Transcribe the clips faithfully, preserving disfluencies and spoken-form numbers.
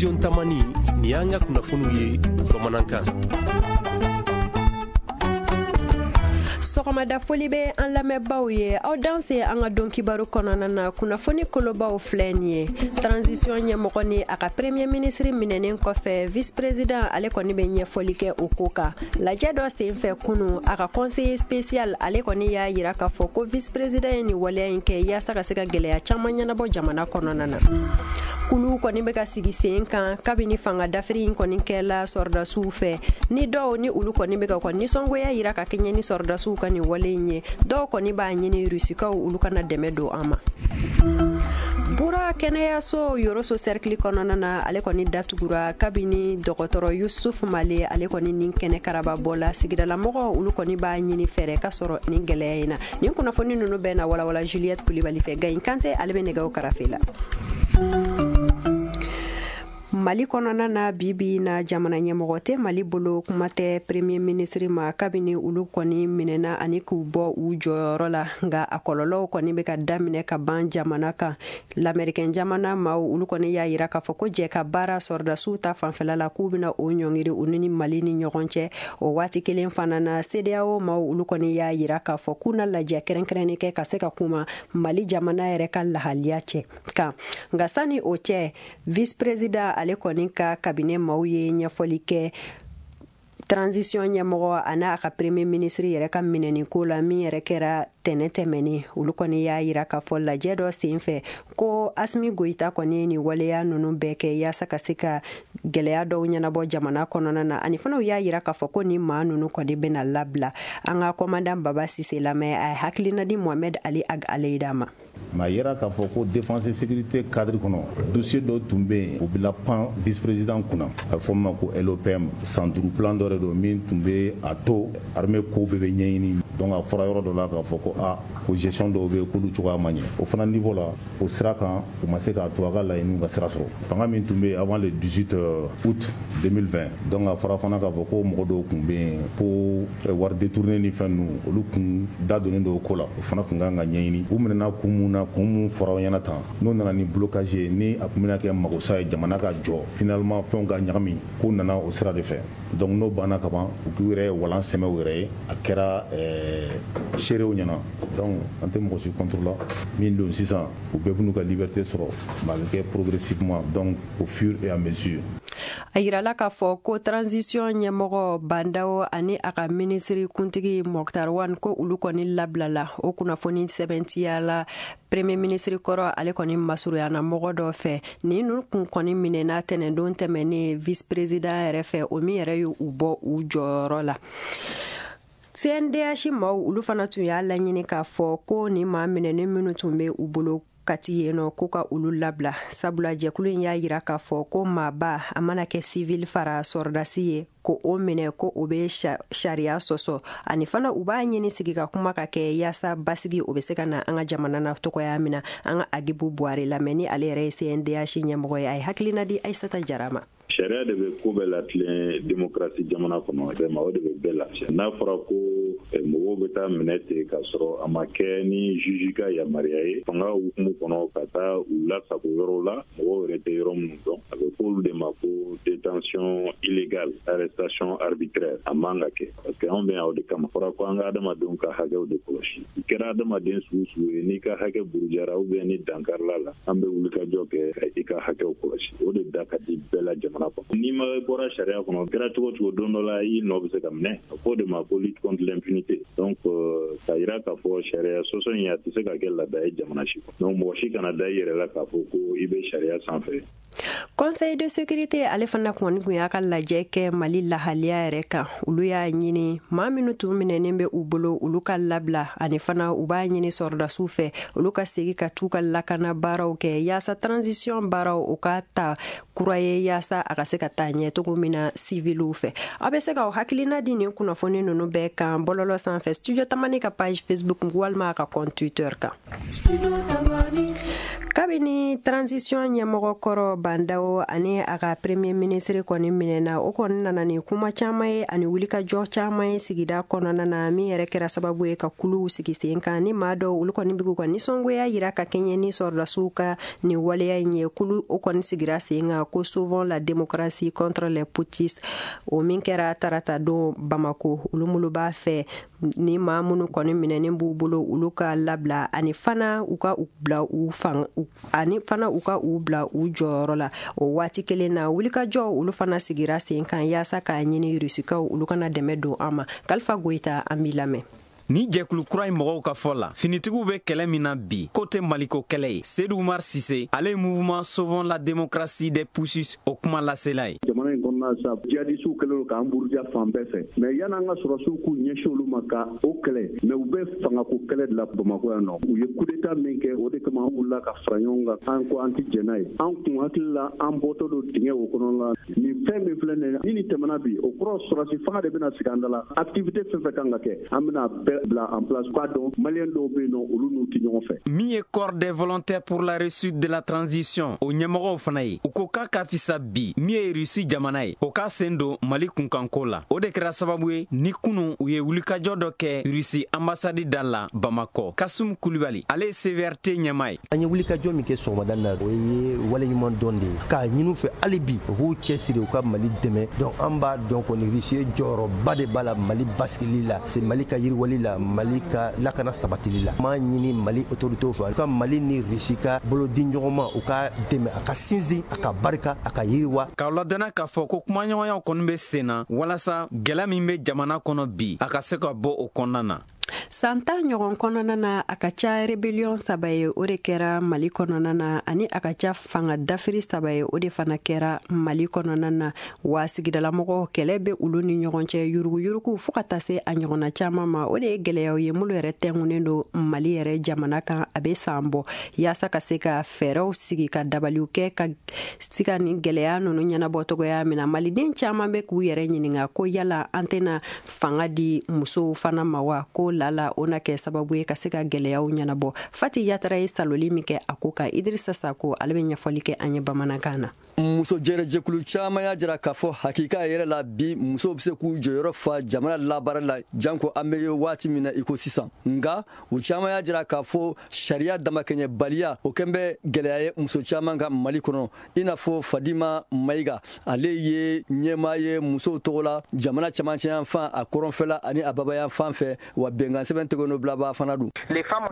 Studio Tamani, nin y'an ka kunnafoniw ye bamanankan. Sɔgɔmada foli bɛ an lamɛnbaaw ye, aw danse an ka don kibaru kɔnɔna na. Kunnafoni kolobaw filɛ nin ye: transition ɲɛmɔgɔ ni a ka premier ministre minɛnen kɔfɛ, vice président ale kɔni bɛ ɲɛfɔli kɛ o ko kan. Lajɛ dɔ senfɛ kunu, a ka conseiller spécial ale kɔni y'a yira k'a fɔ ko vice président ye nin waleya in kɛ yaasa ka se ka gɛlɛya caman ɲɛnabɔ jamana kɔnɔna na. Kulu kɔni bɛ ka sigi sen kan kabini fanga dafiri in kɔni kɛla sɔrɔdasiw fɛ, ni dɔw ni olu kɔni bɛ ka ka nisɔngoya yira ka kɛɲɛ ni sɔrɔdasiw ka nin wale in ye. Dɔw kɔni b'a ɲini Rusikaw olu kana dɛmɛ don an ma. Bura kɛnɛyaso Yoroso cercle kɔnɔna na, ale kɔni datugura kabini dɔgɔtɔrɔ Yusuf Male ale kɔni ni kɛnɛ karaba bɔla. Sigidalamɔgɔw olu kɔni b'a ɲini fɛɛrɛ ka sɔrɔ nin gɛlɛya in na. Nin kunnafoni ninnu bɛɛ na walawala Juliette Kulibali fɛ. Gayin Kante ale bɛ nɛgɛw karafe la. Mali kɔnɔna na, bi bi na jamana ɲɛmɔgɔ tɛ Mali bolo, kuma tɛ premier ministre ma, kabini olu kɔni minɛna ani k'u bɔ u jɔyɔrɔ la. Nka a kɔlɔlɔw kɔni bɛ ka daminɛ ka ban jamana kan. Lamɛrikɛn jamana maaw olu kɔni y'a yira k'a fɔ ko jɛ ka baara sɔrɔdasiw ta fanfɛla la, k'u bɛna o ɲɔngiri u ni Mali ni ɲɔgɔn cɛ. O waati kelen fana na, CEDEAO maaw olu kɔni y'a yira k'a fɔ k'u na lajɛ kɛrɛnkɛrɛnnen kɛ ka se ka kuma Mali jamana yɛrɛ ka lahaliya cɛ kan. Nka sani o cɛ, vice président ale kɔni ka cabinet maaw ye ɲɛfɔli kɛ transition ɲɛmɔgɔ a n'a ka premier ministre yɛrɛ ka minɛni ko la, min yɛrɛ kɛra tɛnɛ tɛmɛnen. Olu kɔni y'a yira k'a fɔ lajɛ dɔ sen fɛ ko Asimi Goyita kɔni ye nin waleya ninnu bɛɛ kɛ yaasa ka se ka gɛlɛya dɔw ɲɛnabɔ jamana kɔnɔna na. Ani fana u y'a yira k'a fɔ ko nin maa ninnu kɔni bɛna labila. An ka commandant Baba Sise lamɛn, a ye hakilina di Mohamed Ali Ag Aleyida ma. Mais a yera k'a fɔ ko défense et sécurité cadre kɔnɔ, dossier dɔ tun bɛ yen, o bila pan vice président kunna, a bɛ fɔ min ma ko L O P M. San duuru plan dɔ de don min tun bɛ a to armée ko bɛɛ bɛ ɲɛɲini. Donc a fɔra yɔrɔ dɔ la k'a fɔ ko a ko gestion dɔw bɛ yen k'olu cogoya ma ɲɛ. O fana niveau la, o sira kan, u ma se k'a to a ka laɲiniw ka sira sɔrɔ. Fanga min tun bɛ yen avant le dix-huit août deux mille vingt, donc a fɔra fana k'a fɔ ko mɔgɔ dɔw tun bɛ yen ko wari détourné ni fɛn ninnu, olu kun da donnen don o ko la, o fana tun kan ka ɲɛɲini. U minɛna kun mun na, kun mun fɔra aw ɲɛna tan, n'o nana ni blocage ye, ni a tun bɛna kɛ magosa ye jamana ka jɔ, finalement fɛnw ka ɲagami, k'o nana o sira de fɛ. Donc n'o banna ka ban, u k'u yɛrɛ walan sɛmɛ u yɛrɛ ye, a kɛra ɛɛ seerew ɲɛna. Donc an tɛ mɔgɔ si contre la. Min don sisan, u bɛɛ b'u ka liberté sɔrɔ, mais a bɛ kɛ progressivement, donc au fur et à mesure. A yirala k'a fɔ ko transition ɲɛmɔgɔ Bandawo ani a ka minisiri kuntigi Moctar Ouane, ko olu kɔni labilala. O kunnafoni sɛbɛntiyala premier ministre kɔrɔ ale kɔni masurunyana mɔgɔ dɔ fɛ. Nin ninnu kun kɔni minɛna tɛnɛndon tɛmɛnen vice président yɛrɛ fɛ, o min yɛrɛ ye u bɔ u jɔyɔrɔ la. C N D H maaw olu fana tun y'a laɲini k'a fɔ ko nin maa minɛnen minnu tun bɛ u bolo Kati yen nɔ, ko ka olu labila, sabula jɛkulu in y'a yira k'a fɔ ko maaba a mana kɛ civil fara sɔrɔdasi ye, ko o minɛ, ko o bɛ sariya sɔsɔ. Ani fana u b'a ɲini sigi ka kuma ka kɛ yaasa basigi o bɛ se ka na an ka jamana na tɔgɔya min na. An ka Agibu Buwari lamɛn, ni ale yɛrɛ ye C N D H ɲɛmɔgɔ ye, a ye hakilina di Ayisata Jara ma. Sariya de bɛ ko bɛɛ latilen démocratie jamana kɔnɔ, vraiment o de bɛ bɛɛ lafiya. N'a fɔra ko mɔgɔw bɛ taa minɛ ten k'a sɔrɔ a ma kɛ ni juge ka yamaruya ye, fanga hukumu kɔnɔ, ka taa u lasago yɔrɔw la mɔgɔw yɛrɛ tɛ yɔrɔ minnu dɔn, a bɛ fɔ olu de ma ko détention illégale, arrestation arbitraire. A man ka kɛ, parce que anw bɛ yan o de kama. Fɔra ko an ka adamadenw ka hakɛw de kɔlɔsi. I kɛra adamaden sugu sugu ye, n'i ka hakɛ burujara ou bien ni dankarila la, an bɛ wulikajɔ kɛ ka i ka hakɛw kɔlɔsi. O de da ka di bɛɛ la jamana kɔnɔ. N'i ma bɔra sariya kɔnɔ, kɛra cogo cogo, don dɔ la i nɔ bɛ se ka minɛ. A fɔ o de ma ko lutte contre l'impunité. Donc k'a yira k'a fɔ sariya sɔsɔ in, a tɛ se ka kɛ laada ye jamana si kɔnɔ. Donc mɔgɔ si kana da i yɛrɛ la k'a fɔ ko i bɛ sariya sanfɛ. Conseil de sécurité ale fana kɔni kun y'a ka lajɛ kɛ Mali lahaliya yɛrɛ kan. Olu y'a ɲini maa minnu tun minɛnen bɛ u bolo, olu ka labila. Ani fana u b'a ɲini sɔrɔdasiw fɛ, olu ka segi ka t'u ka lakana baaraw kɛ yaasa transition baaraw o ka ta kura ye, yaasa a ka se ka taa ɲɛ cogo min na civiliw fɛ. Aw bɛ se k'aw hakilina di nin kunnafoni ninnu bɛɛ kan bɔlɔlɔ sanfɛ, Studio Tamani ka page Facebook walima a ka compte Twitter kan. Kabini transition ɲɛmɔgɔ kɔrɔ Bandaw Ndaw ani a ka premier ministre kɔni minɛna, o kɔni nana ni kuma caman ye ani wulikajɔ caman ye sigida kɔnɔna na, min yɛrɛ kɛra sababu ye ka kuluw sigi sen kan ni maa dɔw olu kɔni bɛ k'u ka nisɔngoya yira ka kɛɲɛ ni sɔrɔdasiw ka nin waleya in ye. Kulu o kɔni sigira sen kan ko Sauvons la démocratie contre les putschistes, o min kɛra tarata don Bamako. Olu minnu b'a fɛ ni maa minnu kɔni minɛnen b'u bolo olu ka labila ani fana u ka u bila u fan ani fana u ka u bila u jɔyɔrɔ la. O waati kelen na wulikajɔ olu fana sigira sen kan yaasa k'a ɲini Rusikaw olu kana dɛmɛ don an ma. Kalifa Goyita, an b'i lamɛn. Ni jɛkulu kura in mɔgɔw ka fɔ la, finitigiw bɛ kɛlɛ min na bi, k'o tɛ Maliko kɛlɛ ye. Seydou Umar Sise, ale ye mouvement Sauvons la démocratie des putschistes o kuma lasela ye. Jamana in kɔnɔna sa, jihadisiw kɛlen don k'an buruja fan bɛɛ fɛ, mais yan'an ka sɔrɔdasiw k'u ɲɛsin olu ma ka o kɛlɛ, mais u bɛ fangako kɛlɛ de la Bamakɔ yan nɔ. U ye coup d'état min kɛ, o de kama an wulila ka fara ɲɔgɔn kan, an ko an tɛ jɛn n'a ye. An kun hakili la an bɔtɔ don dingɛ o kɔnɔ la. Nin fɛn min filɛ nin ye, ni nin tɛmɛna bi, o kɔrɔ sɔrɔdasi fanga de bɛna sigi an da la. Activité fɛn fɛn kan ka kɛ, an bɛna bɛɛ bila en place. K'a dɔn maliyɛn dɔw bɛ yen nɔ, olu n'u tɛ ɲɔgɔn fɛ. Min ye corps des volontaires pour la réussite de la transition o ɲɛmɔgɔw fana ye, u ko k'a ka fisa bi min ye Rusi jamana ye, o k'a sen don Mali kunkanko la. O de kɛra sababu ye ni kunu u ye wulikajɔ dɔ kɛ Rusi ambassade da la Bamakɔ. Kasum Kulibali, ale ye C V R T ɲɛmaa ye. An ye wulikajɔ min kɛ sɔgɔmada na, o ye waleɲuman dɔn de ye k'a ɲini u fɛ hali bi u k'u cɛsiri u ka Mali dɛmɛ. Donc an b'a dɔn kɔni Rusi ye jɔyɔrɔba de b'a la Mali basigili la, c'est Mali ka yiriwali la, Mali ka lakana sabatili la. M'a ɲini Mali autorités fɛ u ka Mali ni Rusi ka bolodi ɲɔgɔn ma, u ka dɛmɛ a ka sinsin, a ka barika, a ka yiriwa. K'aw ladɔnna k'a fɔ ko kumaɲɔgɔnyaw kɔni bɛ sen na walasa gɛlɛya min bɛ jamana kɔnɔ bi, a ka se ka bɔ o kɔnɔna na. San tan ɲɔgɔn kɔnɔna na, a ka ca rébellion saba ye o de kɛra Mali kɔnɔna na, ani a ka ca fanga dafiri saba ye o de fana kɛra Mali kɔnɔna na. Wa sigidalamɔgɔw kɛlɛ bɛ olu ni ɲɔgɔn cɛ, yuruguyurugu fo ka taa se a ɲɔgɔnna caman ma. O de ye gɛlɛyaw ye minnu yɛrɛ tɛnkunnen don Mali yɛrɛ jamana kan a bɛ san bɔ, yaasa ka se ka fɛɛrɛw sigi ka dabaliw kɛ ka se ka nin gɛlɛya ninnu ɲɛnabɔ cogoya min na. Maliden caman bɛ k'u yɛrɛ ɲininka ko yala an tɛna fanga di musow fana ma wa, ko lala o na kɛ sababu ye ka se ka gɛlɛyaw ɲɛnabɔ. Fati Yatara ye saloli min kɛ a ko kan, Idrissa Sako ale bɛ ɲɛfɔli kɛ an ye bamanankan na. Muso jɛrɛjɛkulu caman y'a jira k'a fɔ hakika yɛrɛ la bi musow bɛ se k'u jɔyɔrɔ fa jamana labaara la, janko an bɛ waati min na i ko sisan. Nka u caman y'a jira k'a fɔ sariya damakɛɲɛbaliya o kɛn bɛ gɛlɛya ye muso caman ka Mali kɔnɔ. I n'a fɔ Fadima Mayiga, ale ye ɲɛmaa ye musow tɔgɔ la jamana cɛmancɛyanfan, a kɔrɔnfɛla ani a babayanfan fɛ, wa bɛnkan sɛbɛn tɛgɛnɔbilaba fana don.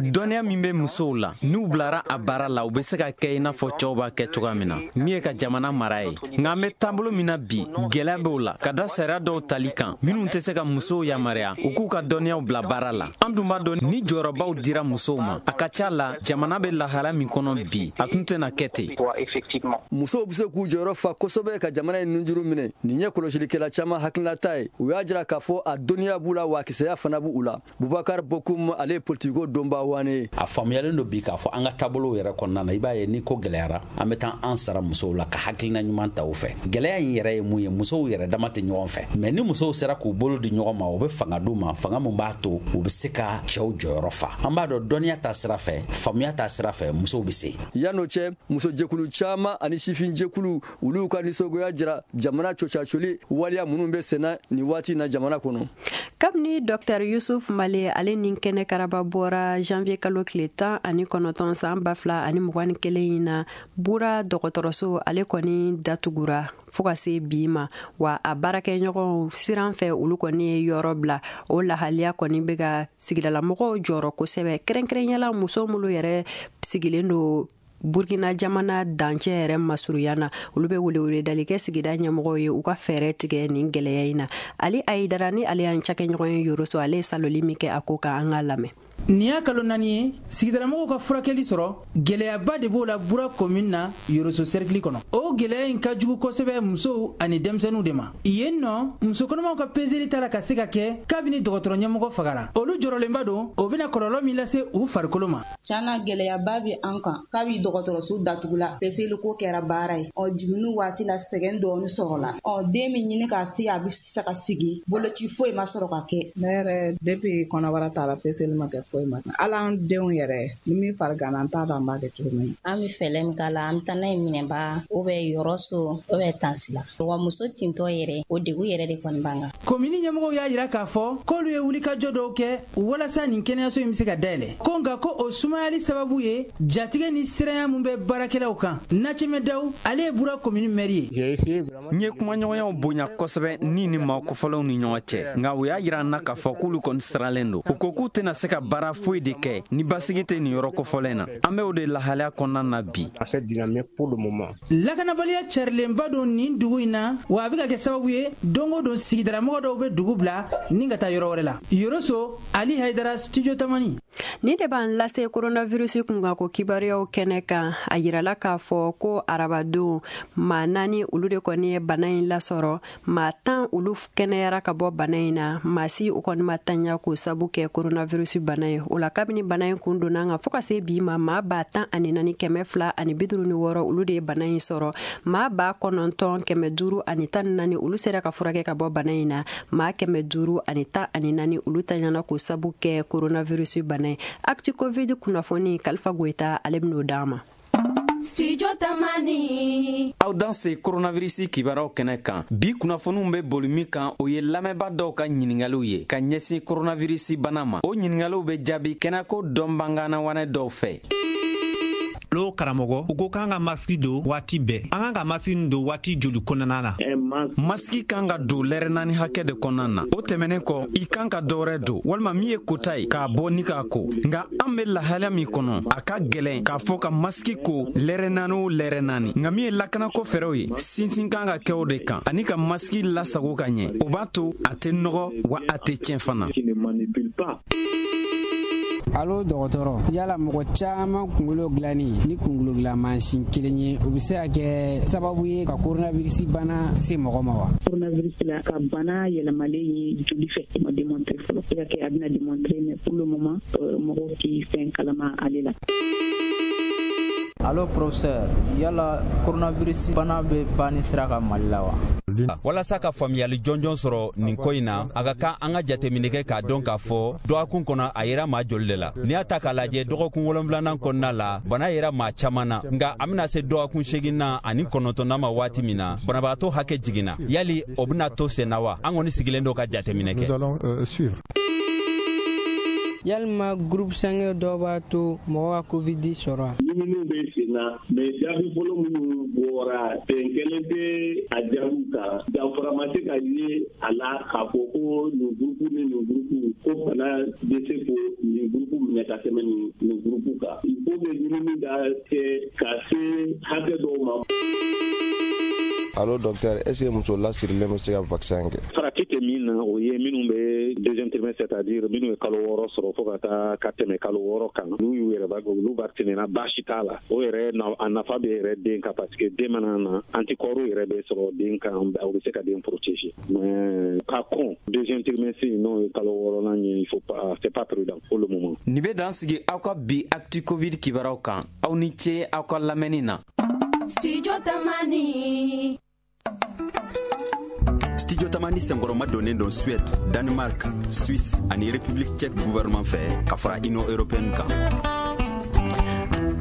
Dɔnniya min bɛ musow la, n'u bilara a baara la, u bɛ se ka kɛ i n'a fɔ cɛw b'a kɛ cogoya min na, min ye ka jamana mara ye. Nka an bɛ taabolo min na bi, gɛlɛya b'o la ka da sariya dɔw tali kan minnu tɛ se ka musow yamaruya u k'u ka dɔnniyaw bila baara la. An dun b'a dɔn ni jɔyɔrɔbaw dira musow ma, a ka ca la jamana bɛ lahala min kɔnɔ bi, a tun tɛna kɛ ten. Musow bɛ se k'u jɔyɔrɔ fa kosɛbɛ ka jamana in nunjuru minɛ. Nin ye kɔlɔsilikɛla caman hakilinata ye. U y'a jira k'a fɔ a dɔnniya b'u la, wa a kisɛya fana b'u la. Bubakar Bokum, ale ye politiko donba wane ye. A faamuyalen don bi k'a fɔ an ka taabolow yɛrɛ kɔnɔna na, i b'a ye ni ko gɛlɛyara, an bɛ taa an sara musow la ka hakilina ɲuman ta u fɛ. Gɛlɛya in yɛrɛ ye mun ye, musow yɛrɛ dama tɛ ɲɔgɔn fɛ, mais ni musow sera k'u bolo di ɲɔgɔn ma, o bɛ fanga d'u ma, fanga mun b'a to u bɛ se ka cɛw jɔyɔrɔ fa. An b'a dɔn dɔnniya ta sira fɛ, faamuya ta sira fɛ, musow bɛ se. Yan'o cɛ, musojɛkulu caman ani sifinjɛkulu olu ka nisɔngoya jira jamana cocacoli waleya minnu bɛ senna nin waati na jamana kɔnɔ. Kabini Docteur Yusuf Male ale ni kɛnɛ karaba bɔra janvier kalo tile tan ani kɔnɔntɔn san ba fila ani mugan ni kelen in na, Bura dɔgɔtɔrɔso ale kɔni datugura fo ka se bi ma, wa a baarakɛɲɔgɔnw siran fɛ olu kɔni ye yɔrɔ bila. O lahaliya kɔni bɛ ka sigidalamɔgɔw jɔrɔ kosɛbɛ, kɛrɛnkɛrɛnyala muso minnu yɛrɛ sigilen don Burkina jamana dancɛ yɛrɛ masurunya na, olu bɛ weleweledali kɛ sigida ɲɛmɔgɔw ye u ka fɛɛrɛ tigɛ nin gɛlɛya in na. Ali Ayidara ni ale y'an cakɛɲɔgɔn ye Yoroso, ale ye saloli min kɛ a ko kan, an k'a lamɛn. Nin y'a kalo naani ye sigidalamɔgɔw ka furakɛli sɔrɔ, gɛlɛyaba de b'o la Bura commune na Yoroso cercle kɔnɔ. O gɛlɛya in ka jugu kosɛbɛ musow ani denmisɛnninw de ma. Yen nɔ, muso kɔnɔmaw ka peseli t'a la ka se ka kɛ kabini dɔgɔtɔrɔ ɲɛmɔgɔ fagara. Olu jɔrɔlenba don, o bɛna kɔlɔlɔ min lase u farikolo ma. Tiɲɛna gɛlɛyaba bɛ an kan kabi dɔgɔtɔrɔso datugula, peseli ko kɛra baara ye. Ɔ jiginni waati la sɛgɛn dɔɔni sɔrɔla. Ɔ den min ɲini k'a se a bɛ fɛ ka sigi, boloci foyi ma sɔrɔ ka kɛ. Ne yɛrɛ depuis kɔnɔbara taara peseli ma kɛ. foyi ma. Hali an denw yɛrɛ ni min fariganna an t'a dɔn an b'a kɛ cogo min. An bɛ fɛɛrɛ min k'a la, an bɛ taa n'a ye Minɛnba ou bien Yɔrɔso ou bien Tansila. Wa muso tintɔ yɛrɛ, o degun yɛrɛ de kɔni b'an kan. Komini ɲɛmɔgɔw y'a jira k'a fɔ k'olu ye wulikajɔ dɔw kɛ walasa nin kɛnɛyaso in bɛ se ka dayɛlɛ. Ko nka ko o sumayali sababu ye jatigɛ ni siranya mun bɛ baarakɛlaw kan. Nacɛmɛ Daw, ale ye Bura komini mɛri ye. N ye kumaɲɔgɔnyaw bonya kosɛbɛ ni ni maa kofɔlenw ni ɲɔgɔn cɛ, nka u y'a jira n na k'a fɔ k'olu kɔni siralen don. U ko k'u tɛna se ka baara foyi de kɛ ni basigi tɛ nin yɔrɔ kofɔlen na. An bɛ o de lahalaya kɔnɔna na bi. Lakanabaliya carilenba don nin dugu in na, wa a bɛ ka kɛ sababu ye don o don sigidalamɔgɔ dɔw bɛ dugu bila ni ka taa yɔrɔ wɛrɛ la. Yoroso, Ali Haidara, Studio Tamani. Ni de b'an lase coronavirus kunkanko kibaruyaw kɛnɛ kan. A yirala k'a fɔ ko arabadon maa naani olu de kɔni ye bana in lasɔrɔ, maa tan olu kɛnɛyara ka bɔ bana in na, maa si u kɔni ma tanya k'o sabu kɛ coronavirus bana ye. O la kabini bana in kun donna an kan fo ka se bi ma, maa ba tan ani naani kɛmɛ fila ani bi duuru ni wɔɔrɔ olu de ye bana in sɔrɔ, maa ba kɔnɔntɔn kɛmɛ duuru ani tan ni naani olu sera ka furakɛ ka bɔ bana in na, maa kɛmɛ duuru ani tan ani naani olu tanyana k'o sabu kɛ coronavirus bana ye. Actu Covid kunnafoni, Kalifa Goyita ale bɛn'o d'an ma. Studio Tamani. Aw danse coronavirus kibaruyaw kɛnɛ kan. Bi kunnafoniw bɛ boli min kan, o ye lamɛnbaa dɔw ka ɲininkaliw ye ka ɲɛsin coronavirus bana ma. O ɲininkaliw bɛ jaabi kɛnɛko dɔnbangannawanɛ dɔw fɛ. Lo karamɔgɔ, u ko k'an ka masiki don waati bɛɛ. An kan ka masiki don waati joli kɔnɔna na? Masiki kan ka don lɛrɛ naani hakɛ de kɔnɔna na. O tɛmɛnen kɔ, i kan ka dɔwɛrɛ don walima min ye kota ye k'a bɔ ni k'a ko. Nka an bɛ lahalaya min kɔnɔ, a ka gɛlɛn k'a fɔ ka masiki ko lɛrɛ naani o lɛrɛ naani. Nka min ye lakanako fɛɛrɛw ye, sinsin kan ka kɛ o de kan ani ka masiki lasago ka ɲɛ. O b'a to a tɛ nɔgɔ wa a tɛ tiɲɛ fana. Alo dɔgɔtɔrɔ, yala mɔgɔ caman kunkolo dilanni ni kunkolo dilan mansin kelen ye, o bɛ se ka kɛ sababu ye ka coronavirus bana se mɔgɔ ma wa? Coronavirus la ka bana yɛlɛmalen ye joli fɛ, o ma démontrer fɔlɔ. Se ka kɛ a bɛna démontrer, mais pour le moment mɔgɔw tɛ fɛn kalama ale la. Allo professeur, yala coronavirus bana bɛ banni sira kan Mali la wa? Walasa ka faamuyali jɔnjɔn sɔrɔ nin ko in na, a ka kan an ka jateminɛ kɛ k'a dɔn k'a fɔ dɔgɔkun kɔnɔ a yera maa joli de la. N'i y'a ta k'a lajɛ dɔgɔkun wolonfilanan kɔnɔna la, bana yera maa caman na, nka an bɛna se dɔgɔkun seeginnan ani kɔnɔntɔnnan ma waati min na, banabagatɔ hakɛ jiginna. Yali o bɛna to sen na wa? An kɔni sigilen don ka jateminɛ kɛ. Yalima groupe sanguin dɔw b'a to mɔgɔ ka covid sɔrɔ? Ɲininiw bɛ sen na, mais jaabi fɔlɔ minnu bɔra, bɛn kelen tɛ a jaabiw kan. Danfara ma se ka ye a la k'a fɔ ko nin groupe ni nin groupe ko bana bɛ se ko nin groupe minɛ ka tɛmɛ nin nin groupe kan. Il faut que ɲinini ka kɛ ka se hakɛ dɔw ma. Allo docteur, est-ce que muso lasirilen bɛ se ka vaccin kɛ? Farati tɛ min na, o ye minnu bɛ deuxième trimestre, c'est-à-dire minnu ye kalo wɔɔrɔ sɔrɔ fo ka taa ka tɛmɛ kalo wɔɔrɔ kan, n'u y'u yɛrɛ olu vacciné na, baasi t'a la. O yɛrɛ a nafa bɛ yɛrɛ den kan, parce que den mana na anticorps yɛrɛ bɛ sɔrɔ den kan, o bɛ se ka den protéger. Mais ka kɔn deuxième trimestre n'o ye kalo wɔɔrɔnan ye, il faut pas, c'est pas prudent pour le moment. Nin bɛ dan sigi aw ka bi Actu Covid kibaruyaw kan. Aw ni ce aw ka lamɛnni na. Studio Tamani. Studio Tamani senkɔrɔma donnen don Suède, Danemark, Suisse ani République tchèque gouvernement fɛ ka fara Union européenne kan.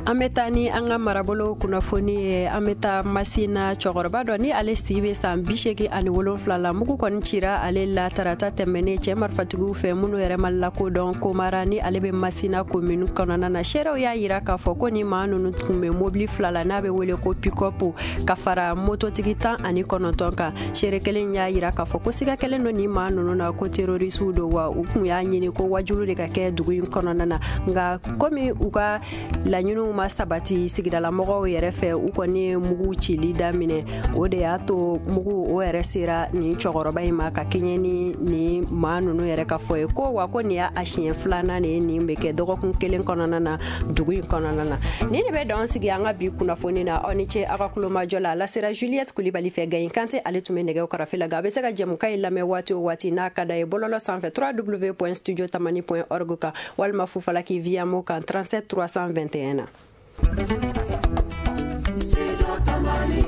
An bɛ taa ni an ka marabolo kunnafoni ye. An bɛ taa Masina, cɛkɔrɔba dɔ ni ale si bɛ san bi seegin ani wolonfila la, mugu kɔni cira ale la tarata tɛmɛnen cɛ marifatigiw fɛ minnu yɛrɛ ma lakodɔn Komara ni ale bɛ Masina commune kɔnɔna na. Seerew y'a yira k'a fɔ ko ni maa ninnu tun bɛ mobili fila la n'a bɛ wele ko pick-up ka fara mototigi tan ani kɔnɔntɔn kan. Seere kelen y'a yira k'a fɔ ko siga kɛlen don ni maa ninnu na ko terrorisiw don, wa u tun y'a ɲini ko wajulu de ka kɛ dugu in kɔnɔna na. Nka komi u ka laɲiniw ma sabati sigidalamɔgɔw yɛrɛ fɛ, u kɔni ye mugu cili daminɛ. O de y'a to mugu o yɛrɛ sera nin cɛkɔrɔba in ma ka kɛɲɛ ni nin maa ninnu yɛrɛ ka fɔ ye ko wa ko nin y'a siɲɛ filanan de ye nin bɛ kɛ dɔgɔkun kelen kɔnɔna na dugu in kɔnɔna na. Nin de bɛ dan sigi an ka bi kunnafoni na. Aw ni ce aw ka kulomajɔ la. A lasera Juliette Kulibali fɛ. Gayin Kante ale tun bɛ nɛgɛw karafe la. Nka a bɛ se ka jɛmukan in lamɛn waati o waati n'a ka d'a ye bɔlɔlɔ sanfɛ w w w point studio tamani point org kan walima Fufalaki via mo kan trente-sept trois cent vingt et un na. Studio Tamani.